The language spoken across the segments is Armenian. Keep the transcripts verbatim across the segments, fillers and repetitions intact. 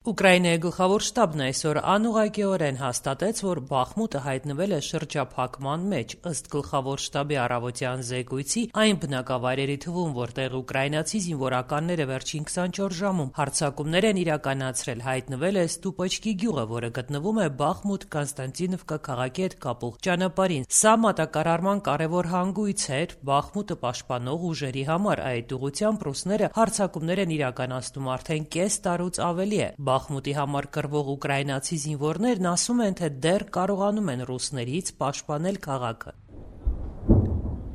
Ուկրաինայի գլխավոր շտաբն այսօր անուղղակիորեն հաստատեց, որ Բախմուտը հայտնվել է շրջափակման մեջ։ Ըստ գլխավոր շտաբի առավոտյան զեկույցի, այն բնակավայրերի թվում, որտեղ ուկրաինացի զինվորականները վերջին քսանչորս ժամում հարձակումներ են իրականացրել, հայտնվել է Ստուպոչկի գյուղը, որը գտնվում է Բախմուտ-Կոնստանտինովկա քաղաքի հետ կապող ճանապարհին։ Սա մատակարարման կարևոր հանգույց էր Բախմուտը պաշտպանող ուժերի համար։ Այդ ուղղությամբ ռուսները հարձակումներ են իրականացնում արդեն կես տարուց ավելի է։ Բախմուտի համար կռվող ուկրաինացի զինվորներն ասում են, թե դեռ կարողանում են ռուսներից պաշտպանել քաղաքը։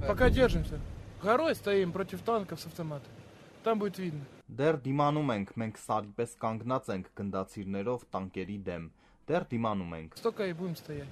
Пока держимся. Горой стоим против танков с автоматами. Там будет видно. Դեռ դիմանում ենք, մենք սարի պես կանգնած ենք գնդացիրներով տանկերի դեմ։ Դեռ դիմանում ենք։ Столько и будем стоять.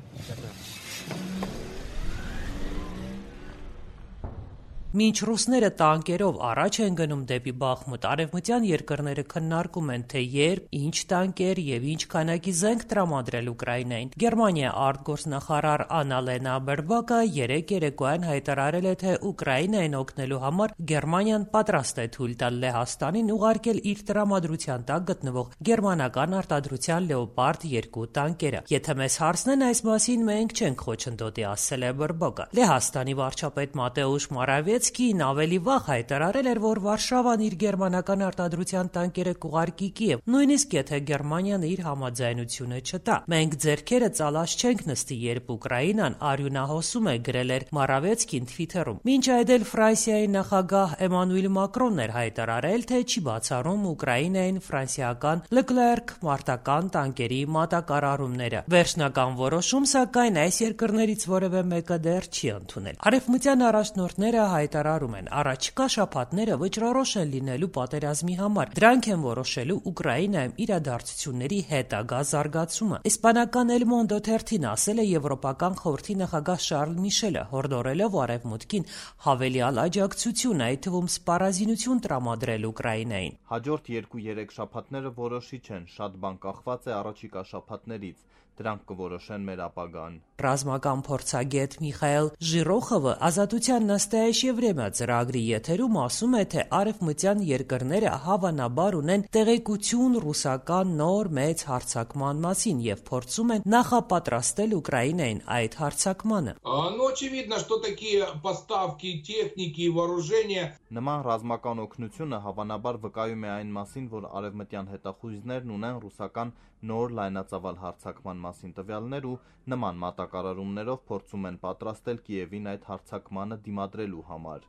Մինչ ռուսները տանկերով առաջ են գնում դեպի Բախմուտ, արևմտյան երկրները քննարկում են, թե երբ, ինչ տանկեր եւ ինչ քանակի զենք տրամադրել Ուկրաինային։ Գերմանիա արտգործնախարար Աննալենա Բերբոկը երեկ երեկոյան հայտարարել է, թե Ուկրաինային օգնելու համար Գերմանիան պատրաստ է թույլ տալ Լեհաստանին ուղարկել իր տրամադրության տակ գտնվող գերմանական արտադրության Լեոպարդ երկու տանկերը։ Եթե մեզ հարցնեն այս մասին, մենք չենք խոչընդոտի, ասել է Բերբոկը։ Լեհաստանի վարչապետ Մատեուշ Մորավեցկին ավելի վաղ հայտարարել էր, որ Վարշավան իր գերմանական արտադրության տանկերը կուղարկի Կիև, նույնիսկ եթե Գերմանիան իր համաձայնությունը չտա։ Մենք ձեռքերը ծալած չենք նստի, երբ Ուկրաինան արյունահոսում է, գրել էր Մորավեցկին Թվիթերում։ Մինչ այդ էլ Ֆրանսիայի նախագահ Էմանուել Մակրոնն էր հայտարարել, թե չի բացառում Ուկրաինային ֆրանսիական Leclerc մարտական տանկերի մատակարարումները։ Վերջնական որոշում, սակայն, այս երկրներից որևէ մեկը դեռ չի ընդունել։ Արևմտյան առաջնորդները հայտարարում են, առաջիկա շաբաթները վճռորոշ են լինելու պատերազմի համար։ Դրանք են որոշելու Ուկրաինայում իրադարձությունների հետագա զարգացումը։ Իսպանական El Mundo թերթին ասել է Եվրոպական խորհրդի նախագահ Շարլ Միշելը, հորդորելով Արևմուտքին հավելյալ աջակցություն, այդ թվում սպառազինություն տրամադրել Ուկրաինային։ Հաջորդ երկու-երեք շաբաթները որոշիչ են, շատ բան կախված է առաջիկա շաբաթներից։ Դրանք կորոշեն մեր ապագան։ Ռազմական փորձագետ Միխայել Ժիրոխովը Ազատության նստայեշ Եվրեմիա ծրագրի եթերում ասում է, թե արևմտյան երկրները հավանաբար ունեն տեղեկություն ռուսական նոր մեծ հարձակման մասին եւ փորձում են նախապատրաստել Ուկրաինային այդ հարձակմանը։ Ну, очевидно, что такие поставки техники и вооружения. Նման ռազմական օգնությունը հավանաբար վկայում է այն մասին, որ արևմտյան հետախույզներն ունեն ռուսական նոր լայնածավալ հարձակման մասին տվյալներ ու նման մատակարարումներով փորձում են պատրաստել Կիևին այդ հարձակմանը դիմադրելու համար։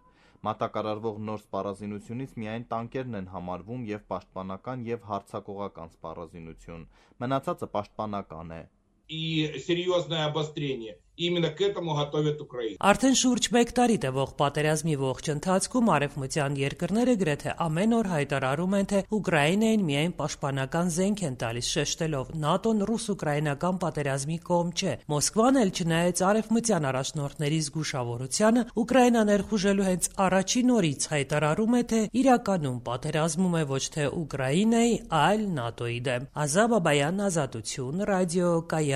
Մատակարարվող նոր սպառազինությունից միայն տանկերն են համարվում եւ պաշտպանական եւ հարձակողական սպառազինություն։ Մնացածը պաշտպանական է։ И серьезное обострение. Именно к этому готовят Украину. Արդեն շուրջ մեկ տարի տևող պատերազմի ողջ ընթացքում արևմտյան երկրները գրեթե ամեն օր հայտարարում են, թե Ուկրաինային միայն պաշտպանական զենք են տալիս, շեշտելով ՆԱՏՕ-ն ռուս-ուկրաինական պատերազմի կողմ չէ։ Մոսկվան էլ չնայած արևմտյան առաջնորդների զգուշավորությանը, Ուկրաինան ներխուժելու հենց առաջին օրից հայտարարում է, թե իրականում պատերազմում է ոչ թե Ուկրաինայի, այլ ՆԱՏՕ-ի դեմ։ Ազա Բաբայան, Ազատություն, ռադիո Կայան։